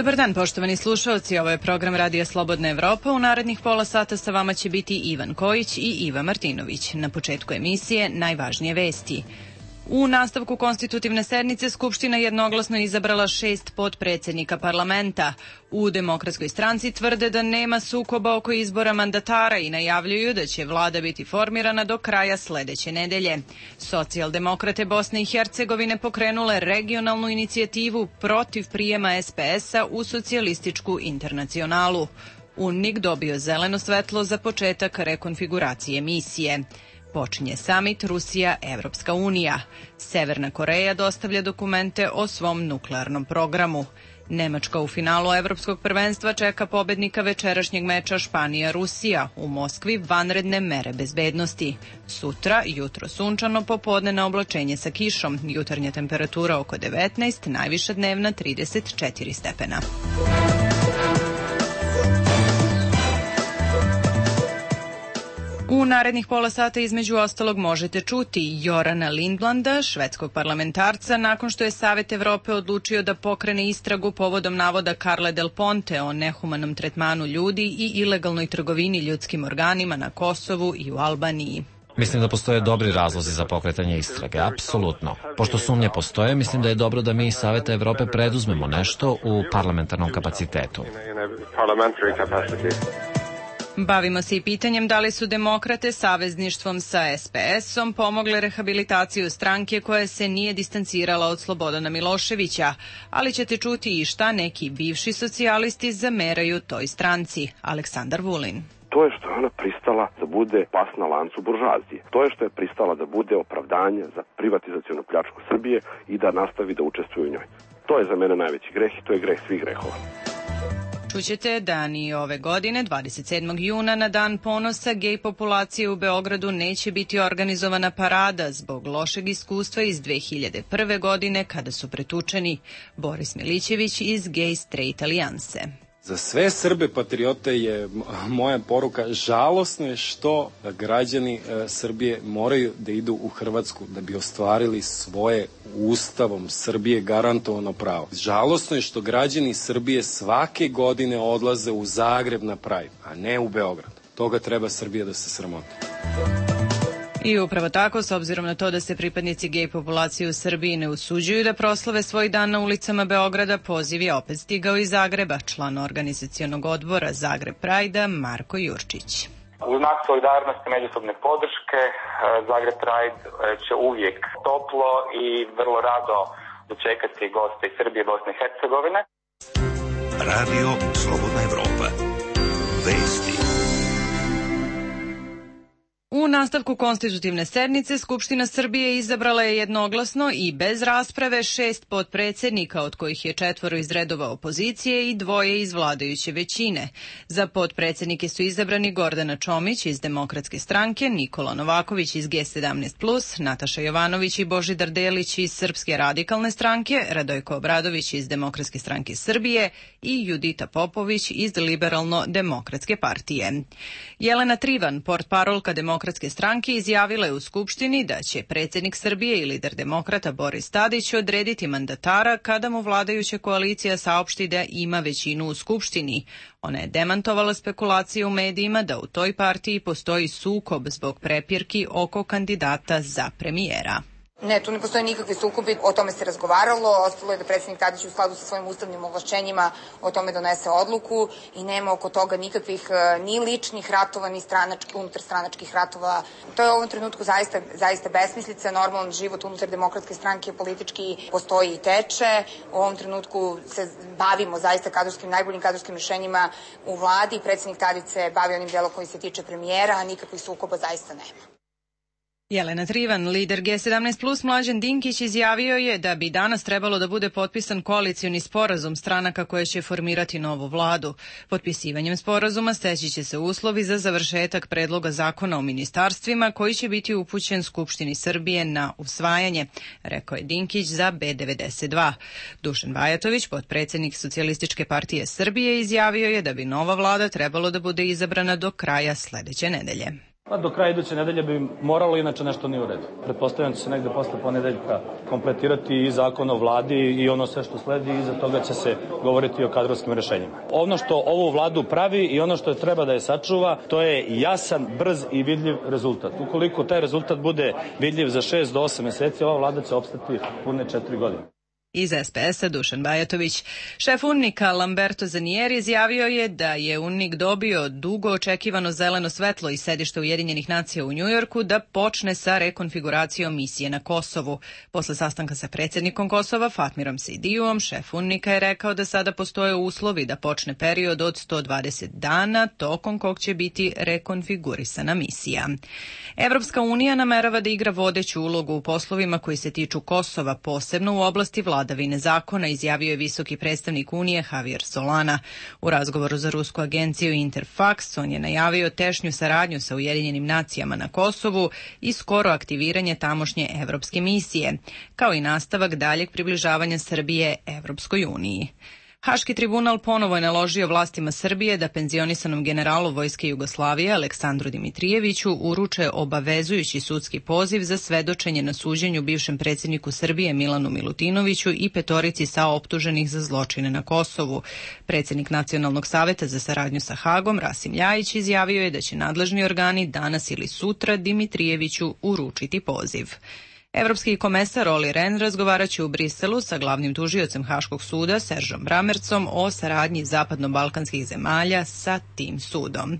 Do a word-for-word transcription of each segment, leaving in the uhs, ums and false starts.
Dobar dan, poštovani slušalci, ovo je program Radija Slobodna Evropa. U narednih pola sata sa vama će biti Ivan Kojić i Iva Martinović. Na početku emisije najvažnije vesti. U nastavku konstitutivne sednice Skupština jednoglasno izabrala šest potpredsednika parlamenta. U Demokratskoj stranci tvrde da nema sukoba oko izbora mandatara i najavljuju da će vlada biti formirana do kraja sledeće nedelje. Socijaldemokrate Bosne i Hercegovine pokrenule regionalnu inicijativu protiv prijema es pe es-a u socijalističku internacionalu. U en i ke dobio zeleno svetlo za početak rekonfiguracije misije. Počinje samit Rusija-Evropska unija. Severna Koreja dostavlja dokumente o svom nuklearnom programu. Nemačka u finalu Evropskog prvenstva čeka pobednika večerašnjeg meča Španija-Rusija. U Moskvi vanredne mere bezbednosti. Sutra, jutro sunčano, popodne na oblačenje sa kišom. Jutarnja temperatura oko devetnaest, najviša dnevna trideset četiri stepena. U narednih pola sata između ostalog možete čuti Jorana Lindblanda, švedskog parlamentarca, nakon što je Savet Evrope odlučio da pokrene istragu povodom navoda Carle Del Ponte o nehumanom tretmanu ljudi i ilegalnoj trgovini ljudskim organima na Kosovu i u Albaniji. Mislim da postoje dobri razlozi za pokretanje istrage, apsolutno. Pošto sumnje postoje, mislim da je dobro da mi iz Saveta Evrope preduzmemo nešto u parlamentarnom kapacitetu. Bavimo se i pitanjem da li su demokrate savezništvom sa es pe es-om pomogle rehabilitaciju stranke koja se nije distancirala od Slobodana Miloševića, ali ćete čuti i šta neki bivši socijalisti zameraju toj stranci. Aleksandar Vulin. To je što je ona pristala da bude pas na lancu buržoazije. To je što je pristala da bude opravdanje za privatizacionu pljačku Srbije i da nastavi da učestvuje u njoj. To je za mene najveći greh i to je greh svih grehova. Čućete da ni ove godine, dvadeset sedmog juna, na dan ponosa gej populacije u Beogradu neće biti organizovana parada zbog lošeg iskustva iz dve hiljade prve. godine kada su pretučeni. Boris Milićević iz Gay Straight Alijanse. Za sve Srbe patriote je moja poruka, žalosno je što građani e, Srbije moraju da idu u Hrvatsku da bi ostvarili svoje Ustavom Srbije garantovano pravo. Žalosno je što građani Srbije svake godine odlaze u Zagreb na Pride, a ne u Beograd. Toga treba Srbija da se sramoti. I upravo tako, s obzirom na to da se pripadnici gej populacije u Srbiji ne usuđuju da proslave svoj dan na ulicama Beograda, poziv je opet stigao iz Zagreba, član organizacionog odbora Zagreb Pride-a Marko Jurčić. U znak solidarnosti međusobne podrške, Zagreb Pride će uvijek toplo i vrlo rado dočekati goste iz Srbije i Bosne i Hercegovine. Radio Slobodna Evropa. Vesti. U nastavku konstitutivne sednice Skupština Srbije izabrala je jednoglasno i bez rasprave šest potpredsednika, od kojih je četvoro iz redova opozicije i dvoje iz vladajuće većine. Za potpredsednike su izabrani Gordana Čomić iz Demokratske stranke, Nikola Novaković iz ge sedamnaest plus, Nataša Jovanović i Božidar Delić iz Srpske radikalne stranke, Radojko Obradović iz Demokratske stranke Srbije i Judita Popović iz Liberalno-demokratske partije. Jelena Trivan, portparolka Demokratske Demokratske stranke, izjavila je u Skupštini da će predsjednik Srbije i lider demokrata Boris Tadić odrediti mandatara kada mu vladajuća koalicija saopšti da ima većinu u Skupštini. Ona je demantovala spekulacije u medijima da u toj partiji postoji sukob zbog prepirki oko kandidata za premijera. Ne, tu ne postoje nikakvi sukobi, o tome se razgovaralo, ostalo je da predsjednik Tadić u skladu sa svojim ustavnim ovlašćenjima o tome donese odluku i nema oko toga nikakvih ni ličnih ratova, ni stranački, unutarstranačkih ratova. To je u ovom trenutku zaista, zaista besmislica, normalan život unutar Demokratske stranke politički postoji i teče. U ovom trenutku se bavimo zaista kadrovskim, najboljim kadrovskim rješenjima u vladi, predsjednik Tadić se bavi onim delom koji se tiče premijera, a nikakvih sukoba zaista nema. Jelena Trivan, lider ge sedamnaest plus Mlađan Dinkić, izjavio je da bi danas trebalo da bude potpisan koalicioni sporazum stranaka koje će formirati novu vladu. Potpisivanjem sporazuma steći će se uslovi za završetak predloga zakona o ministarstvima koji će biti upućen Skupštini Srbije na usvajanje, rekao je Dinkić za be devedeset dva. Dušan Bajatović, potpredsjednik Socijalističke partije Srbije, izjavio je da bi nova vlada trebalo da bude izabrana do kraja sledeće nedelje. Pa do kraja iduće nedelje bi moralo, inače nešto nije u redu. Pretpostavljam da će se negde posle ponedeljka kompletirati i zakon o vladi i ono sve što sledi, i iza toga će se govoriti o kadrovskim rešenjima. Ono što ovu vladu pravi i ono što treba da je sačuva, to je jasan, brz i vidljiv rezultat. Ukoliko taj rezultat bude vidljiv za šest do osam meseci, ova vlada će opstati pune četiri godine. Iz es pe es a Dušan Bajatović. Šef UNNIK-a Lamberto Zanieri izjavio je da je UNNIK dobio dugo očekivano zeleno svetlo iz sedišta Ujedinjenih nacija u Njujorku da počne sa rekonfiguracijom misije na Kosovu. Posle sastanka sa predsjednikom Kosova Fatmirom Sejdijuom, šef UNNIK-a je rekao da sada postoje uslovi da počne period od sto dvadeset dana, tokom kog će biti rekonfigurisana misija. Evropska unija namerava da igra vodeću ulogu u poslovima koji se tiču Kosova, posebno u oblasti vlade vladavine zakona, izjavio je visoki predstavnik Unije Javier Solana. U razgovoru za rusku agenciju Interfax on je najavio tešnju saradnju sa Ujedinjenim nacijama na Kosovu i skoro aktiviranje tamošnje evropske misije, kao i nastavak daljeg približavanja Srbije Evropskoj uniji. Haški tribunal ponovo je naložio vlastima Srbije da penzionisanom generalu Vojske Jugoslavije Aleksandru Dimitrijeviću uruče obavezujući sudski poziv za svedočenje na suđenju bivšem predsjedniku Srbije Milanu Milutinoviću i petorici saoptuženih za zločine na Kosovu. Predsjednik Nacionalnog saveta za saradnju sa Hagom Rasim Ljajić izjavio je da će nadležni organi danas ili sutra Dimitrijeviću uručiti poziv. Evropski komesar Olli Rehn razgovaraće u Briselu sa glavnim tužiocem Haškog suda Seržom Bramercom o saradnji zapadno-balkanskih zemalja sa tim sudom.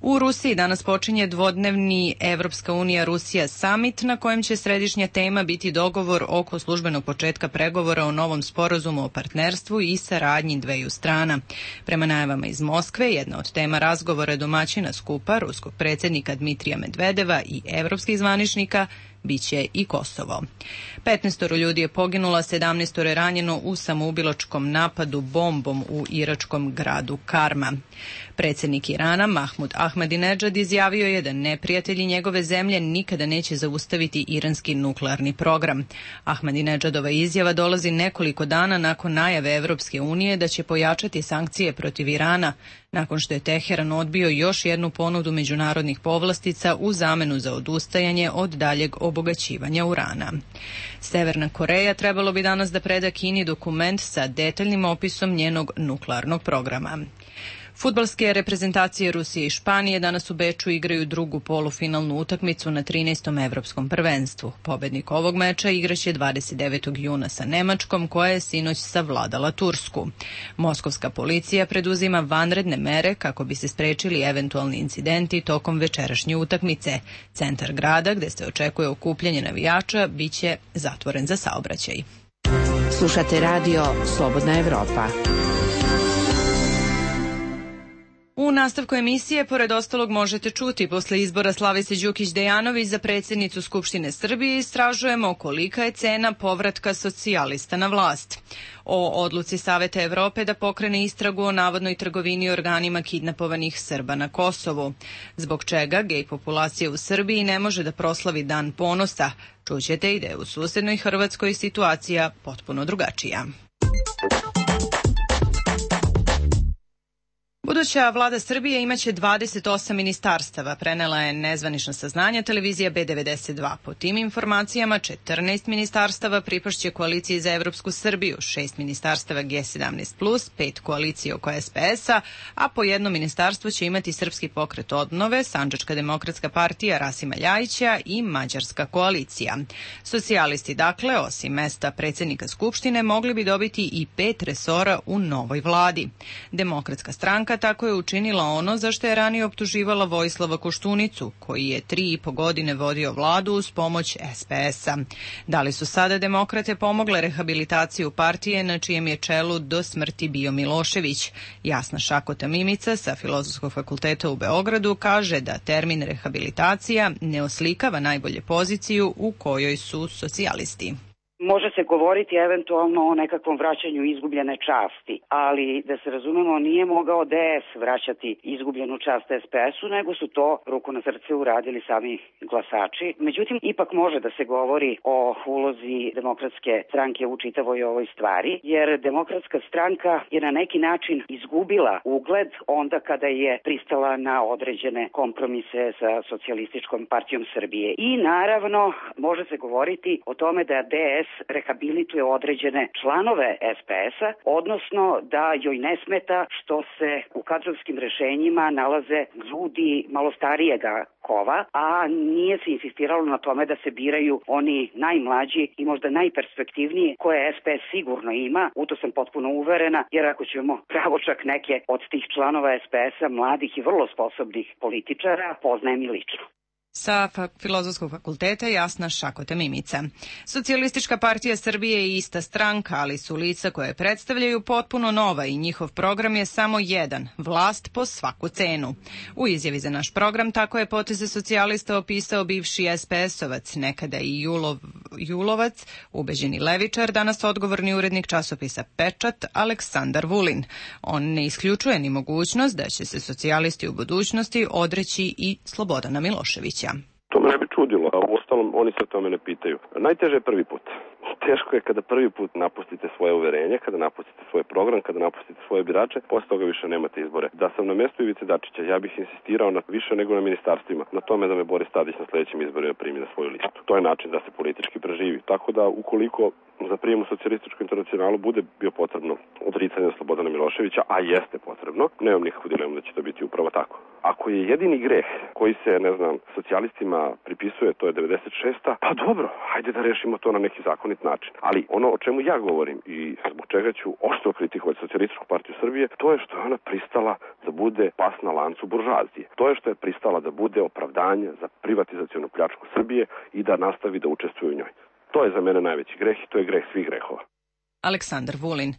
U Rusiji danas počinje dvodnevni Evropska unija-Rusija summit na kojem će središnja tema biti dogovor oko službenog početka pregovora o novom sporazumu o partnerstvu i saradnji dveju strana. Prema najavama iz Moskve, jedna od tema razgovora domaćina skupa ruskog predsjednika Dmitrija Medvedeva i evropskih zvaničnika biće i Kosovo. petnaestoro ljudi je poginulo, sedamnaestoro je ranjeno u samoubilačkom napadu bombom u iračkom gradu Karma. Predsjednik Irana Mahmud Ahmadinejad izjavio je da neprijatelji njegove zemlje nikada neće zaustaviti iranski nuklearni program. Ahmadinejadova izjava dolazi nekoliko dana nakon najave Evropske unije da će pojačati sankcije protiv Irana, nakon što je Teheran odbio još jednu ponudu međunarodnih povlastica u zamenu za odustajanje od daljeg obogaćivanja urana. Severna Koreja trebalo bi danas da preda Kini dokument sa detaljnim opisom njenog nuklearnog programa. Fudbalske reprezentacije Rusije i Španije danas u Beču igraju drugu polufinalnu utakmicu na trinaestom evropskom prvenstvu. Pobednik ovog meča igraće dvadeset devetog juna sa Nemačkom, koja je sinoć savladala Tursku. Moskovska policija preduzima vanredne mere kako bi se sprečili eventualni incidenti tokom večerašnje utakmice. Centar grada, gde se očekuje okupljanje navijača, biće zatvoren za saobraćaj. Slušate radio Slobodna Evropa. U nastavku emisije, pored ostalog, možete čuti posle izbora Slavice Đukić-Dejanović za predsjednicu Skupštine Srbije istražujemo kolika je cena povratka socijalista na vlast. O odluci Saveta Evrope da pokrene istragu o navodnoj trgovini organima kidnapovanih Srba na Kosovu. Zbog čega gej populacija u Srbiji ne može da proslavi Dan ponosa. Čućete i da je u susednoj Hrvatskoj situacija potpuno drugačija. Buduća vlada Srbije imaće dvadeset osam ministarstava, prenela je nezvanična saznanja televizija B devedeset dva. Po tim informacijama, četrnaest ministarstava pripašće koaliciji za Evropsku Srbiju, šest ministarstava G sedamnaest plus, pet koalicije oko es pe es a, a po jedno ministarstvo će imati Srpski pokret obnove, Sandžačka demokratska partija Rasima Ljajića i Mađarska koalicija. Socijalisti, dakle, osim mesta predsjednika Skupštine, mogli bi dobiti i pet resora u novoj vladi. Demokratska stranka tako je učinila ono za što je ranije optuživala Vojislava Koštunicu, koji je tri i po godine vodio vladu uz pomoć es pe es a. Da li su sada demokrate pomogle rehabilitaciju partije na čijem je čelu do smrti bio Milošević? Jasna Šakota Mimica sa Filozofskog fakulteta u Beogradu kaže da termin rehabilitacija ne oslikava najbolje poziciju u kojoj su socijalisti. Može se govoriti eventualno o nekakvom vraćanju izgubljene časti, ali da se razumemo nije mogao D S vraćati izgubljenu čast S P S-u, nego su to ruku na srce uradili sami glasači. Međutim, ipak može da se govori o ulozi Demokratske stranke u čitavoj ovoj stvari, jer Demokratska stranka je na neki način izgubila ugled onda kada je pristala na određene kompromise sa Socijalističkom partijom Srbije. I naravno, može se govoriti o tome da D S rehabilituje određene članove S P S-a, odnosno da joj ne smeta što se u kadrovskim rešenjima nalaze ljudi malo starijega kova, a nije se insistiralo na tome da se biraju oni najmlađi i možda najperspektivniji koje S P S sigurno ima, u to sam potpuno uverena, jer ako ćemo pravo čak neke od tih članova S P S-a, mladih i vrlo sposobnih političara, poznajem i lično. Sa Filozofskog fakulteta Jasna Šakota Mimica. Socijalistička partija Srbije je ista stranka, ali su lica koje predstavljaju potpuno nova i njihov program je samo jedan, vlast po svaku cenu. U izjavi za naš program tako je poteze socijalista opisao bivši S P S-ovac, nekada i Julov, Julovac, ubeđeni levičar, danas odgovorni urednik časopisa Pečat, Aleksandar Vulin. On ne isključuje ni mogućnost da će se socijalisti u budućnosti odreći i Slobodana Miloševića. To me ne bi čudilo, a uostalom oni se o tome ne pitaju. Najteže je prvi put. Teško je kada prvi put napustite svoje uverenje, kada napustite svoj program, kada napustite svoje birače, posle toga više nemate izbore. Da sam na mestu Ivice Dačića, ja bih insistirao na više nego na ministarstvima, na tome da me Boris Tadić na sledećim izborima primi na svoju listu. To je način da se politički preživi. Tako da ukoliko za prijem u Socijalističku internacionalu bude bio potrebno odricanje Slobodana Miloševića, a jeste potrebno, nemam nikakvu dilemu da će to biti upravo tako. Ako je jedini greh koji se, ne znam, socijalistima pripisuje, to je devedeset šesta, pa dobro, hajde da rešimo to na neki zakonit način. Ali ono o čemu ja govorim i zbog čega ću oštro kritikovati Socijalističku partiju Srbije, to je što je ona pristala da bude pas na lancu buržoazije. To je što je pristala da bude opravdanje za privatizacionu pljačku Srbije i da nastavi da učestvuje u njoj. To je za mene najveći greh i to je greh svih grehova. Aleksandar Vulin.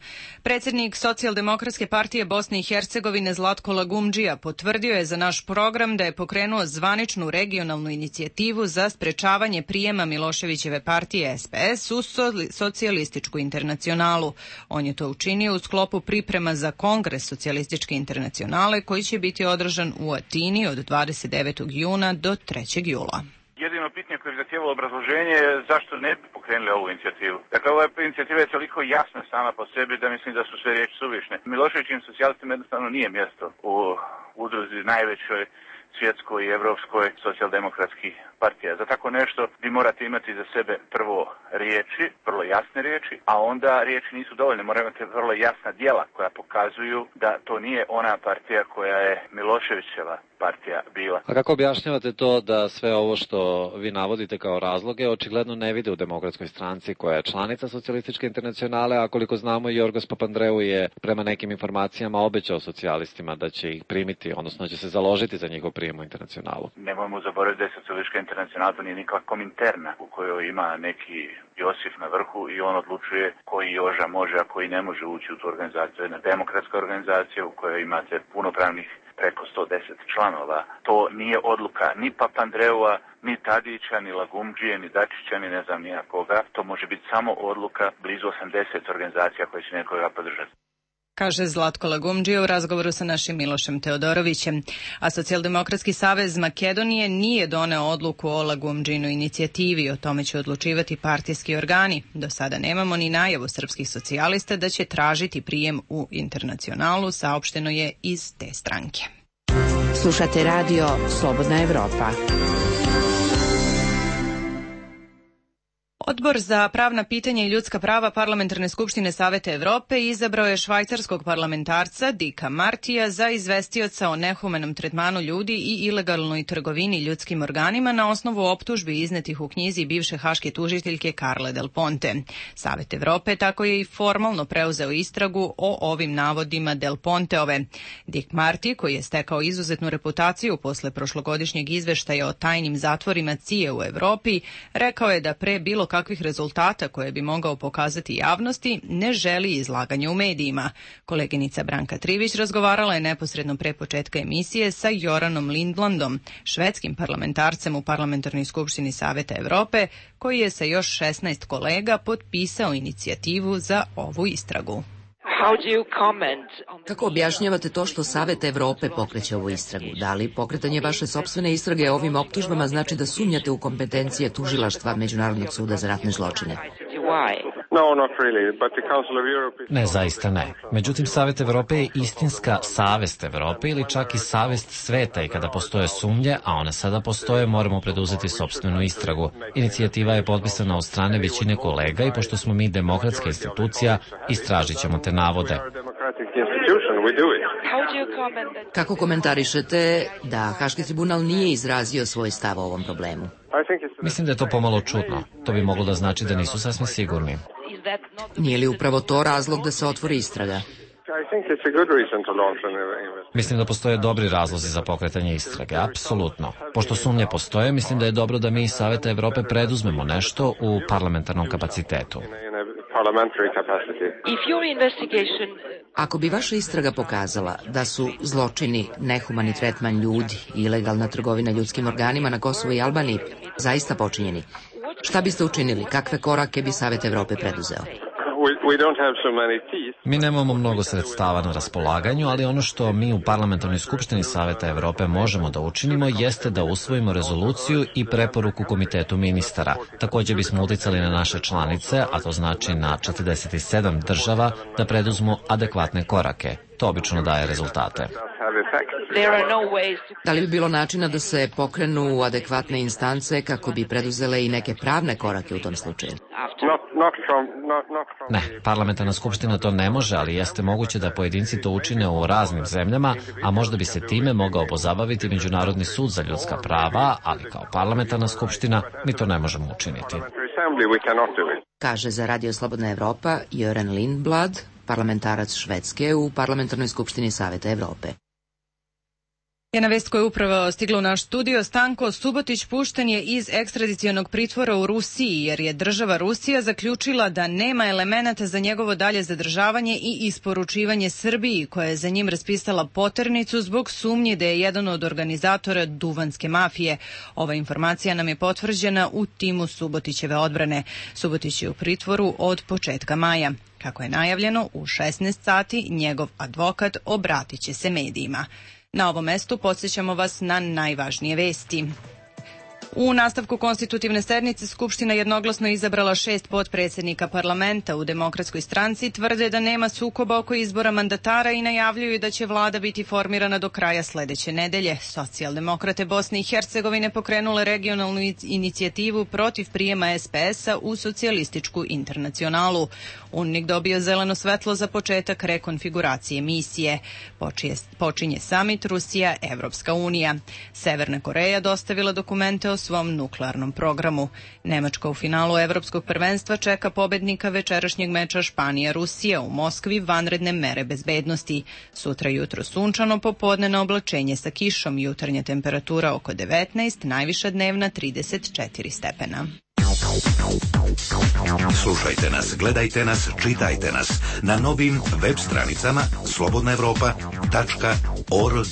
Predsjednik Socijaldemokratske partije Bosne i Hercegovine Zlatko Lagumdžija potvrdio je za naš program da je pokrenuo zvaničnu regionalnu inicijativu za sprečavanje prijema Miloševićeve partije S P S u Socijalističku internacionalu. On je to učinio u sklopu priprema za Kongres Socijalističke internacionale koji će biti održan u Atini od dvadeset devetog juna do trećeg jula. Jedino pitanje koje je zahtijevalo obrazloženje je zašto ne bi pokrenuli ovu inicijativu. Dakle, ova inicijativa je toliko jasna sama po sebi da mislim da su sve riječi suvišne. Miloševićim socijalistima jednostavno nije mjesto u udruzi najvećoj svjetskoj i evropskoj socijaldemokratskih partija. Za tako nešto vi morate imati za sebe prvo riječi, vrlo jasne riječi, a onda riječi nisu dovoljne. Morate imati vrlo jasna djela koja pokazuju da to nije ona partija koja je Miloševićeva partija bila. A kako objašnjavate to da sve ovo što vi navodite kao razloge očigledno ne vide u Demokratskoj stranci koja je članica Socijalističke internacionale, a koliko znamo Jorgos Papandreou je prema nekim informacijama obećao socijalistima da će ih primiti, odnosno da će se založiti za njihov prijem u internacionalu. Nemojmo zaboraviti da je Socijalistička internacionala to nije nikakva kominterna u kojoj ima neki Josif na vrhu i on odlučuje koji Joža može, a koji ne može ući u tu organizaciju. Jedna demokratska organizacija u kojoj imate punopravnih preko sto deset članova. To nije odluka ni Papandreua, ni Tadića, ni Lagumdžije, ni Dačića, ni ne znam nija koga. To može biti samo odluka blizu osamdeset organizacija koje će nekoga podržati. Kaže Zlatko Lagumdžija u razgovoru sa našim Milošem Teodorovićem. A Socijaldemokratski savez Makedonije nije doneo odluku o Lagumdžinoj inicijativi. O tome će odlučivati partijski organi. Do sada nemamo ni najavu srpskih socijalista da će tražiti prijem u internacionalu, saopšteno je iz te stranke. Slušate radio Slobodna Evropa. Odbor za pravna pitanja i ljudska prava Parlamentarne skupštine Saveta Evrope izabrao je švajcarskog parlamentarca Dicka Martija za izvestioca o nehumanom tretmanu ljudi i ilegalnoj trgovini ljudskim organima na osnovu optužbi iznetih u knjizi bivše haške tužiteljke Carle Del Ponte. Savet Evrope tako je i formalno preuzeo istragu o ovim navodima Del Ponteove. Dick Marty, koji je stekao izuzetnu reputaciju posle prošlogodišnjeg izveštaja o tajnim zatvorima C I A u Evropi, rekao je da pre bilo kakvih rezultata koje bi mogao pokazati javnosti, ne želi izlaganje u medijima. Koleginica Branka Trivić razgovarala je neposredno pre početka emisije sa Joranom Lindblandom, švedskim parlamentarcem u Parlamentarnoj skupštini Saveta Evrope, koji je sa još šesnaest kolega potpisao inicijativu za ovu istragu. Kako objašnjavate to što Savet Evrope pokreće ovu istragu? Da li pokretanje vaše sopstvene istrage ovim optužbama znači da sumnjate u kompetencije tužilaštva Međunarodnog suda za ratne zločine? Ne, zaista ne. Međutim, Savet Evrope je istinska savest Evrope ili čak i savest sveta i kada postoje sumnje, a one sada postoje, moramo preduzeti sopstvenu istragu. Inicijativa je potpisana od strane većine kolega i pošto smo mi demokratska institucija, istražit ćemo te navode. Kako komentarišete da Haški tribunal nije izrazio svoj stav o ovom problemu? Mislim da je to pomalo čudno. To bi moglo da znači da nisu sasvim sigurni. Nije li upravo to razlog da se otvori istraga? Mislim da postoje dobri razlozi za pokretanje istrage, apsolutno. Pošto sumnje postoje, mislim da je dobro da mi iz Saveta Evrope preduzmemo nešto u parlamentarnom kapacitetu. Ako bi vaša istraga pokazala da su zločini, nehumani tretman ljudi i ilegalna trgovina ljudskim organima na Kosovu i Albaniji zaista počinjeni, šta biste učinili? Kakve korake bi Savet Evrope preduzeo? Mi nemamo mnogo sredstava na raspolaganju, ali ono što mi u Parlamentarnoj skupštini Saveta Evrope možemo da učinimo jeste da usvojimo rezoluciju i preporuku Komitetu ministara. Također bismo uticali na naše članice, a to znači na četrdeset sedam država, da preduzmu adekvatne korake. To obično daje rezultate. Da li bi bilo načina da se pokrenu adekvatne instance kako bi preduzele i neke pravne korake u tom slučaju? Ne, parlamentarna skupština to ne može, ali jeste moguće da pojedinci to učine u raznim zemljama, a možda bi se time mogao pozabaviti Međunarodni sud za ljudska prava, ali kao parlamentarna skupština mi to ne možemo učiniti. Kaže za Radio Slobodna Evropa Joran Lindblad, parlamentarac Švedske u Parlamentarnoj skupštini Saveta Evrope. Jedna vest koja je upravo stigla u naš studio. Stanko Subotić pušten je iz ekstradicionog pritvora u Rusiji jer je država Rusija zaključila da nema elemenata za njegovo dalje zadržavanje i isporučivanje Srbiji, koja je za njim raspisala poternicu zbog sumnje da je jedan od organizatora duvanske mafije. Ova informacija nam je potvrđena u timu Subotićeve odbrane. Subotić je u pritvoru od početka maja. Kako je najavljeno, u šesnaest sati njegov advokat obratit će se medijima. Na ovom mestu podsjećamo vas na najvažnije vesti. U nastavku konstitutivne sednice Skupština jednoglasno izabrala šest potpredsjednika parlamenta. U Demokratskoj stranci tvrde da nema sukoba oko izbora mandatara i najavljuju da će vlada biti formirana do kraja sledeće nedelje. Socijaldemokrate Bosne i Hercegovine pokrenule regionalnu inicijativu protiv prijema es pe es-a u socijalističku internacionalu. UNMIK dobio zeleno svetlo za početak rekonfiguracije misije. Počinje samit Rusija-Evropska unija. Severna Koreja dostavila dokumente o svom nuklearnom programu. Nemačka u finalu Evropskog prvenstva čeka pobednika večerašnjeg meča Španija-Rusija. U Moskvi vanredne mere bezbednosti. Sutra jutro sunčano, popodne na oblačenje sa kišom, jutarnja temperatura oko devetnaest, najviša dnevna trideset četiri stepena. Slušajte nas, gledajte nas, čitajte nas na novim web stranicama slobodna evropa tačka org.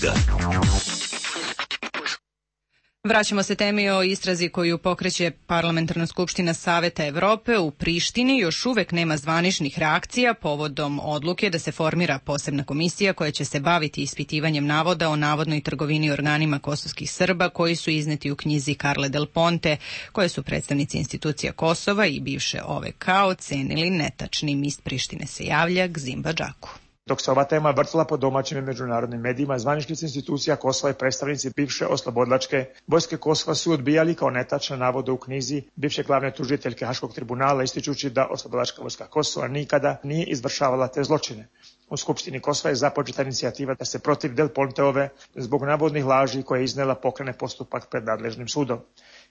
Vraćamo se temi o istrazi koju pokreće Parlamentarna skupština Saveta Evrope. U Prištini još uvek nema zvaničnih reakcija povodom odluke da se formira posebna komisija koja će se baviti ispitivanjem navoda o navodnoj trgovini organima kosovskih Srba koji su izneti u knjizi Carle Del Ponte, koje su predstavnici institucija Kosova i bivše O V K ocenili netačnim. Iz Prištine se javlja Gzimba Džaku. Dok se ova tema vrtila po domaćim i međunarodnim medijima, zvaničnici institucija Kosova i predstavnici bivše oslobodilačke vojske Kosova su odbijali kao netačne navode u knjizi bivše glavne tužiteljke Haškog tribunala, ističući da oslobodilačka vojska Kosova nikada nije izvršavala te zločine. U Skupštini Kosova je započeta inicijativa da se protiv Del Ponteove zbog navodnih laži koje je iznela pokrene postupak pred nadležnim sudom.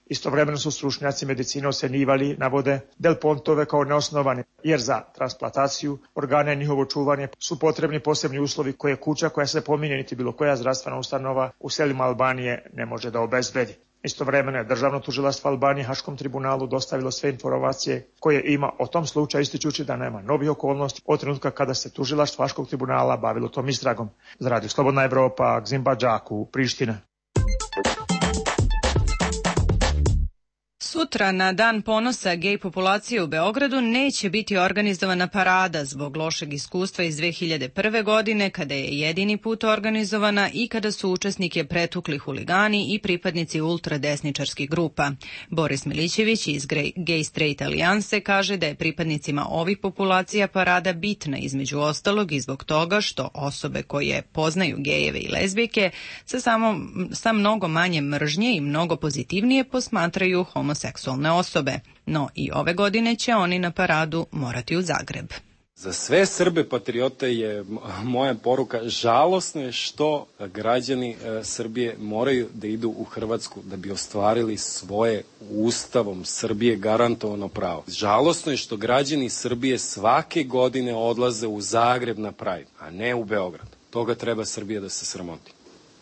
Istovremeno su stručnjaci medicine ocenjivali navode Del Pontove kao neosnovane, jer za transplantaciju organa i njihovo čuvanje su potrebni posebni uslovi koje kuća koja se pominje niti bilo koja zdravstvena ustanova u selima Albanije ne može da obezbedi. Istovremeno je Državno tužilaštvo Albanije Haškom tribunalu dostavilo sve informacije koje ima o tom slučaju, ističući da nema novih okolnosti od trenutka kada se tužilaštvo Haškog tribunala bavilo tom istragom. Za Radio Slobodna Evropa, Gzim Badžaku, Priština. Sutra, na Dan ponosa gej populacije u Beogradu, neće biti organizovana parada zbog lošeg iskustva iz dve hiljade prve. godine, kada je jedini put organizovana i kada su učesnike pretukli huligani i pripadnici ultradesničarskih grupa. Boris Milićević iz Gay Straight Alijanse kaže da je pripadnicima ovih populacija parada bitna između ostalog i zbog toga što osobe koje poznaju gejeve i lezbijke sa, samo, sa mnogo manje mržnje i mnogo pozitivnije posmatraju homoseksualne seksualne osobe, no i ove godine će oni na paradu morati u Zagreb. Za sve Srbe patriote je moja poruka, žalosno je što građani Srbije moraju da idu u Hrvatsku da bi ostvarili svoje Ustavom Srbije garantovano pravo. Žalosno je što građani Srbije svake godine odlaze u Zagreb na Pride, a ne u Beograd. Toga treba Srbija da se sramoti.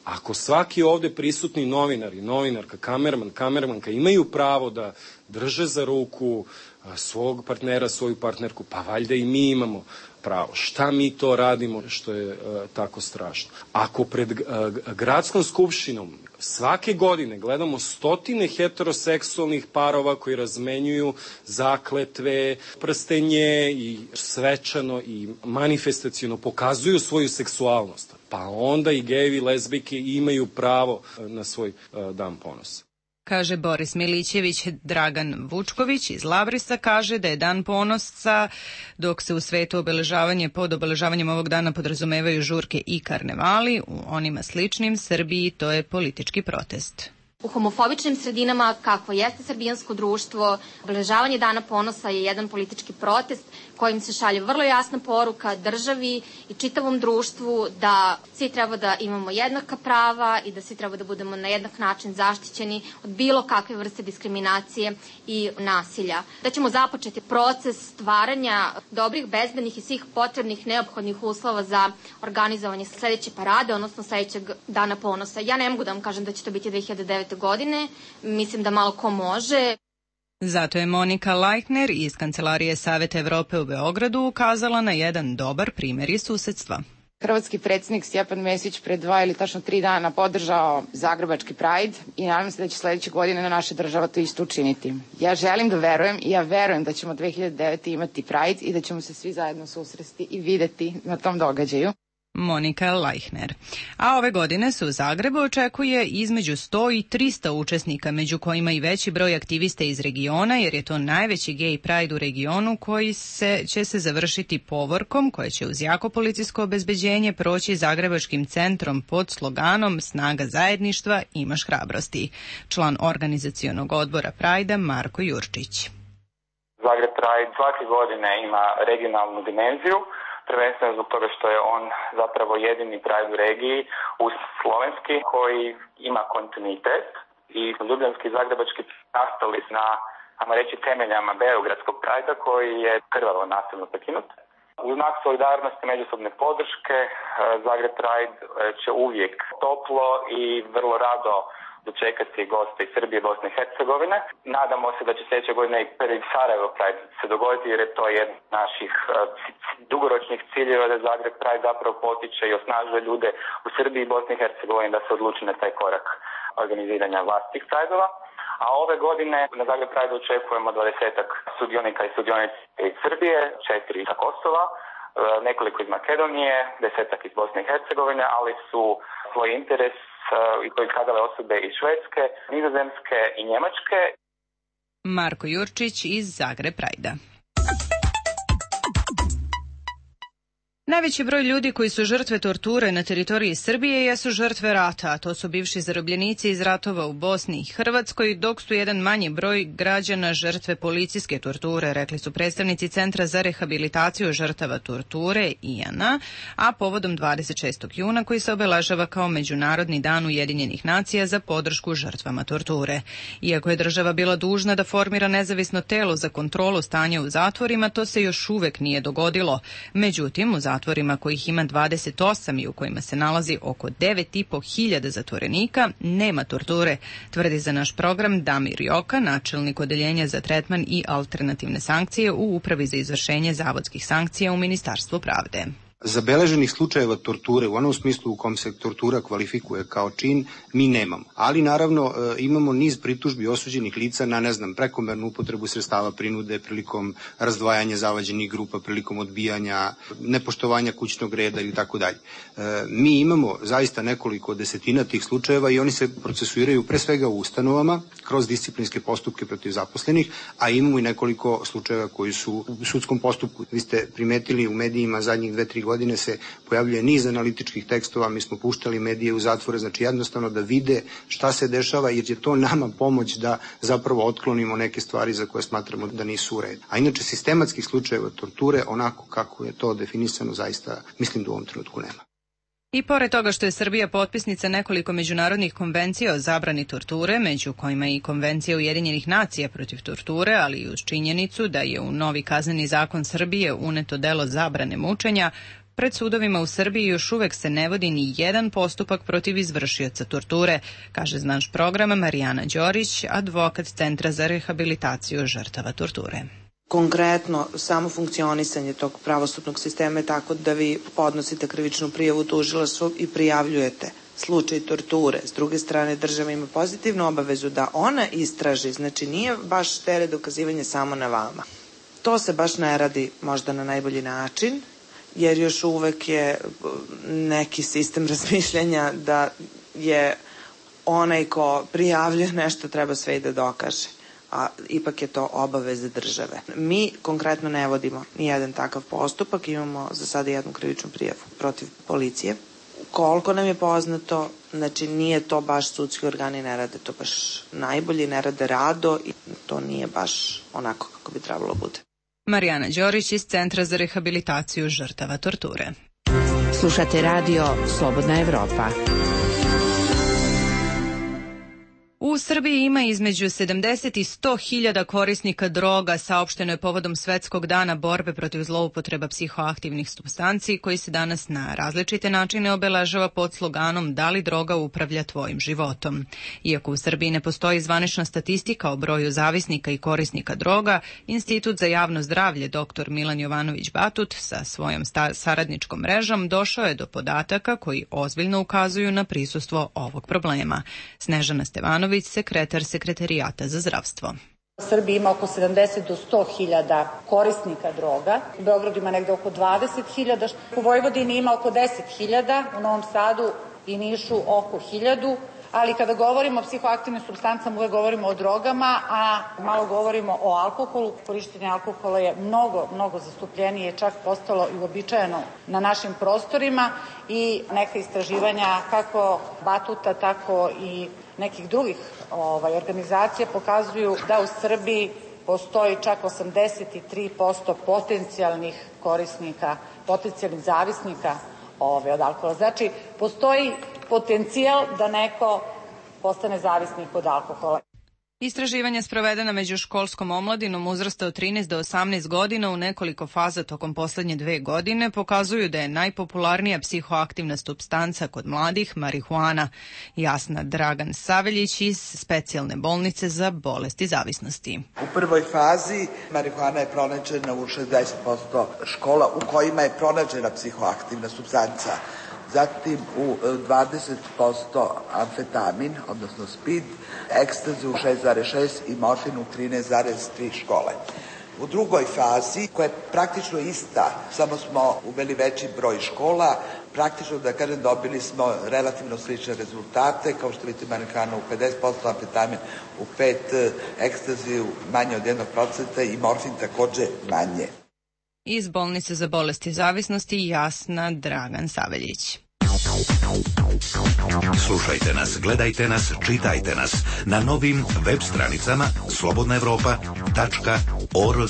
Ako svaki ovde prisutni novinar i novinarka, kamerman, kamermanka imaju pravo da drže za ruku svog partnera, svoju partnerku, pa valjda i mi imamo pravo. Šta mi to radimo što je uh, tako strašno? Ako pred uh, gradskom skupštinom svake godine gledamo stotine heteroseksualnih parova koji razmenjuju zakletve, prstenje i svečano i manifestaciono pokazuju svoju seksualnost, pa onda i gejevi i lezbijke imaju pravo na svoj uh, dan ponosa. Kaže Boris Milićević. Dragan Vučković iz Labrisa kaže da je Dan ponosa, dok se u svetu obeležavanje pod obeležavanjem ovog dana podrazumevaju žurke i karnevali, u onima sličnim Srbiji to je politički protest. U homofobičnim sredinama, kakvo jeste srbijansko društvo, obeležavanje Dana ponosa je jedan politički protest kojim se šalje vrlo jasna poruka državi i čitavom društvu da svi treba da imamo jednaka prava i da svi treba da budemo na jednak način zaštićeni od bilo kakve vrste diskriminacije i nasilja. Da ćemo započeti proces stvaranja dobrih, bezbednih i svih potrebnih neophodnih uslova za organizovanje sledeće parade, odnosno sledećeg Dana ponosa. Ja ne mogu da vam kažem da će to biti dve hiljade devete. godine, mislim da malo ko može. Zato je Monika Lajkner iz Kancelarije Saveta Evrope u Beogradu ukazala na jedan dobar primjer iz susedstva. Hrvatski predsjednik Stjepan Mesić pre dva ili tačno tri dana podržao Zagrebački Pride i nadam se da će sledeće godine na naša država to isto učiniti. Ja želim da verujem i ja verujem da ćemo dve hiljade devete. imati Pride i da ćemo se svi zajedno susresti i videti na tom događaju. Monika Lajkner. A ove godine se u Zagrebu očekuje između sto i trista učesnika, među kojima i veći broj aktivista iz regiona, jer je to najveći gay pride u regionu koji se, će se završiti povorkom, koje će uz jako policijsko obezbeđenje proći Zagrebačkim centrom pod sloganom Snaga zajedništva, imaš hrabrosti. Član organizacionog odbora Prajda Marko Jurčić. Zagreb Pride svake godine ima regionalnu dimenziju, prvenstveno zbog toga što je on zapravo jedini Pride u regiji uz slovenski koji ima kontinuitet i ljubljanski i zagrebački nastali na, ajmo reći, temeljama beogradskog Pride-a koji je krvavo nasilno prekinut. U znak solidarnosti međusobne podrške Zagreb Pride će uvijek toplo i vrlo rado dočekati goste iz Srbije i Bosne i Hercegovine. Nadamo se da će sljedeće godine i prvi Sarajevo Pride se dogoditi jer je to jedan od naših uh, dugoročnih ciljeva da Zagreb Pride zapravo potiče i osnažuje ljude u Srbiji i Bosni i Hercegovini da se odluči na taj korak organiziranja vlastitih Prideova. A ove godine na Zagreb Pride očekujemo dvadesetak sudionika i sudionice iz Srbije, četiri iz Kosova, nekoliko iz Makedonije, desetak iz Bosne i Hercegovine, ali su svoj interes i to iskazale osobe iz Švedske, Nizozemske i Njemačke. Marko Jurčić iz Zagreb Prajda. Najveći broj ljudi koji su žrtve torture na teritoriji Srbije jesu žrtve rata, a to su bivši zarobljenici iz ratova u Bosni i Hrvatskoj, dok su jedan manji broj građana žrtve policijske torture, rekli su predstavnici Centra za rehabilitaciju žrtava torture I A N A, a povodom dvadeset šestog juna koji se obeležava kao Međunarodni dan Ujedinjenih nacija za podršku žrtvama torture. Iako je država bila dužna da formira nezavisno telo za kontrolu stanja u zatvorima, to se još uvek nije dogodilo. Međutim, u zatvorima zatvorima kojih ima dvadeset osam i u kojima se nalazi oko devet i po hiljada zatvorenika, nema torture, tvrdi za naš program Damir Joka, načelnik odeljenja za tretman i alternativne sankcije u Upravi za izvršenje zavodskih sankcija u Ministarstvu pravde. Zabeleženih slučajeva torture u onom smislu u kom se tortura kvalifikuje kao čin mi nemamo. Ali naravno imamo niz pritužbi osuđenih lica na, ne znam, prekomernu upotrebu sredstava prinude prilikom razdvajanja zavađenih grupa, prilikom odbijanja, nepoštovanja kućnog reda ili tako dalje. Mi imamo zaista nekoliko desetina tih slučajeva i oni se procesuiraju pre svega u ustanovama kroz disciplinske postupke protiv zaposlenih, a imamo i nekoliko slučajeva koji su u sudskom postupku. Vi ste primetili u medijima zadnjih dve, tri godine se pojavljuje niz analitičkih tekstova, mi smo puštali medije u zatvore, znači jednostavno da vide šta se dešava, jer je to nama pomoć da zapravo otklonimo neke stvari za koje smatramo da nisu u redu. A inače sistematskih slučajeva torture, onako kako je to definisano, zaista mislim da u ovom trenutku nema. I pored toga što je Srbija potpisnica nekoliko međunarodnih konvencija o zabrani torture, među kojima i Konvencija Ujedinjenih nacija protiv torture, ali i uz činjenicu da je u novi kazneni zakon Srbije uneto delo zabrane mučenja, pred sudovima u Srbiji još uvek se ne vodi ni jedan postupak protiv izvršioca torture, kaže naš program Marijana Đorić, advokat Centra za rehabilitaciju žrtava torture. Konkretno, samo funkcionisanje tog pravosudnog sistema je tako da vi podnosite krivičnu prijavu tužilaštvu i prijavljujete slučaj torture. S druge strane, država ima pozitivnu obavezu da ona istraži, znači nije baš teret dokazivanja samo na vama. To se baš ne radi možda na najbolji način, jer još uvek je neki sistem razmišljanja da je onaj ko prijavljuje nešto treba sve i da dokaže, a ipak je to obaveza države. Mi konkretno ne vodimo nijedan takav postupak, imamo za sada jednu krivičnu prijavu protiv policije. Koliko nam je poznato, znači nije to baš sudski organi, ne rade to baš najbolje, ne rade rado i to nije baš onako kako bi trebalo bude. Marijana Đorić iz Centra za rehabilitaciju žrtava torture. Slušate radio Slobodna Evropa. U Srbiji ima između sedamdeset i sto hiljada korisnika droga, saopšteno je povodom Svetskog dana borbe protiv zloupotreba psihoaktivnih supstanci, koji se danas na različite načine obeležava pod sloganom "Da li droga upravlja tvojim životom?". Iako u Srbiji ne postoji zvanična statistika o broju zavisnika i korisnika droga, Institut za javno zdravlje dr Milan Jovanović Batut sa svojom saradničkom mrežom došao je do podataka koji ozbiljno ukazuju na prisustvo ovog problema. Snežana Stevanović, sekretar Sekretarijata za zdravstvo. U Srbiji ima oko sedamdeset do sto hiljada korisnika droga, u Beogradu ima negde oko dvadeset hiljada, u Vojvodini ima oko deset hiljada, u Novom Sadu i Nišu oko hiljadu, ali kada govorimo o psihoaktivnim supstancama uvek govorimo o drogama, a malo govorimo o alkoholu. Korištenje alkohola je mnogo, mnogo zastupljenije, čak postalo i uobičajeno na našim prostorima i neka istraživanja kako Batuta, tako i nekih drugih ovaj, organizacija pokazuju da u Srbiji postoji čak osamdeset tri posto potencijalnih korisnika, potencijalnih zavisnika ovaj, od alkohola. Znači, postoji potencijal da neko postane zavisnik od alkohola. Istraživanja sprovedena među školskom omladinom uzrasta od trinaest do osamnaest godina u nekoliko faza tokom poslednje dve godine pokazuju da je najpopularnija psihoaktivna supstanca kod mladih marihuana. Jasna Dragan Saveljić iz Specijalne bolnice za bolesti zavisnosti. U prvoj fazi marihuana je pronađena u šezdeset posto škola u kojima je pronađena psihoaktivna supstanca. Zatim u dvadeset posto amfetamin, odnosno speed, ekstazi u šest zarez šest i morfin u trinaest zarez tri škole. U drugoj fazi, koja je praktično ista, samo smo uveli veći broj škola, praktično, da kažem, dobili smo relativno slične rezultate, kao što vidite marihuana u pedeset posto, amfetamin u pet posto, ekstazi u manje od jednog procenta i morfin takođe manje. Iz bolnice za bolesti zavisnosti Jasna Dragan Saveljić. Slušajte nas, gledajte nas, čitajte nas na novim web stranicama slobodna evropa tačka org.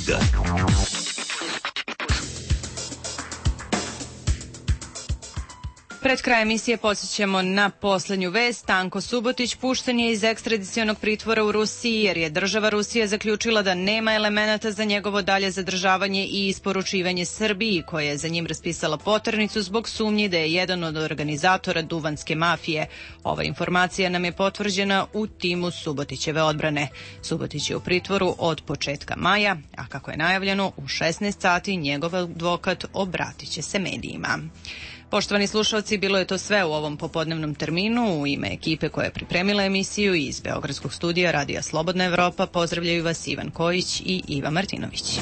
Pred kraj emisije podsjećamo na poslednju vest. Tanko Subotić pušten je iz ekstradicionog pritvora u Rusiji jer je država Rusija zaključila da nema elemenata za njegovo dalje zadržavanje i isporučivanje Srbiji, koja je za njim raspisala poternicu zbog sumnji da je jedan od organizatora duvanske mafije. Ova informacija nam je potvrđena u timu Subotićeve odbrane. Subotić je u pritvoru od početka maja, a kako je najavljeno, u šesnaest sati njegov advokat obratit će se medijima. Poštovani slušalci, bilo je to sve u ovom popodnevnom terminu. U ime ekipe koja je pripremila emisiju iz Beogradskog studija Radija Slobodna Evropa pozdravljaju vas Ivan Kojić i Iva Martinović.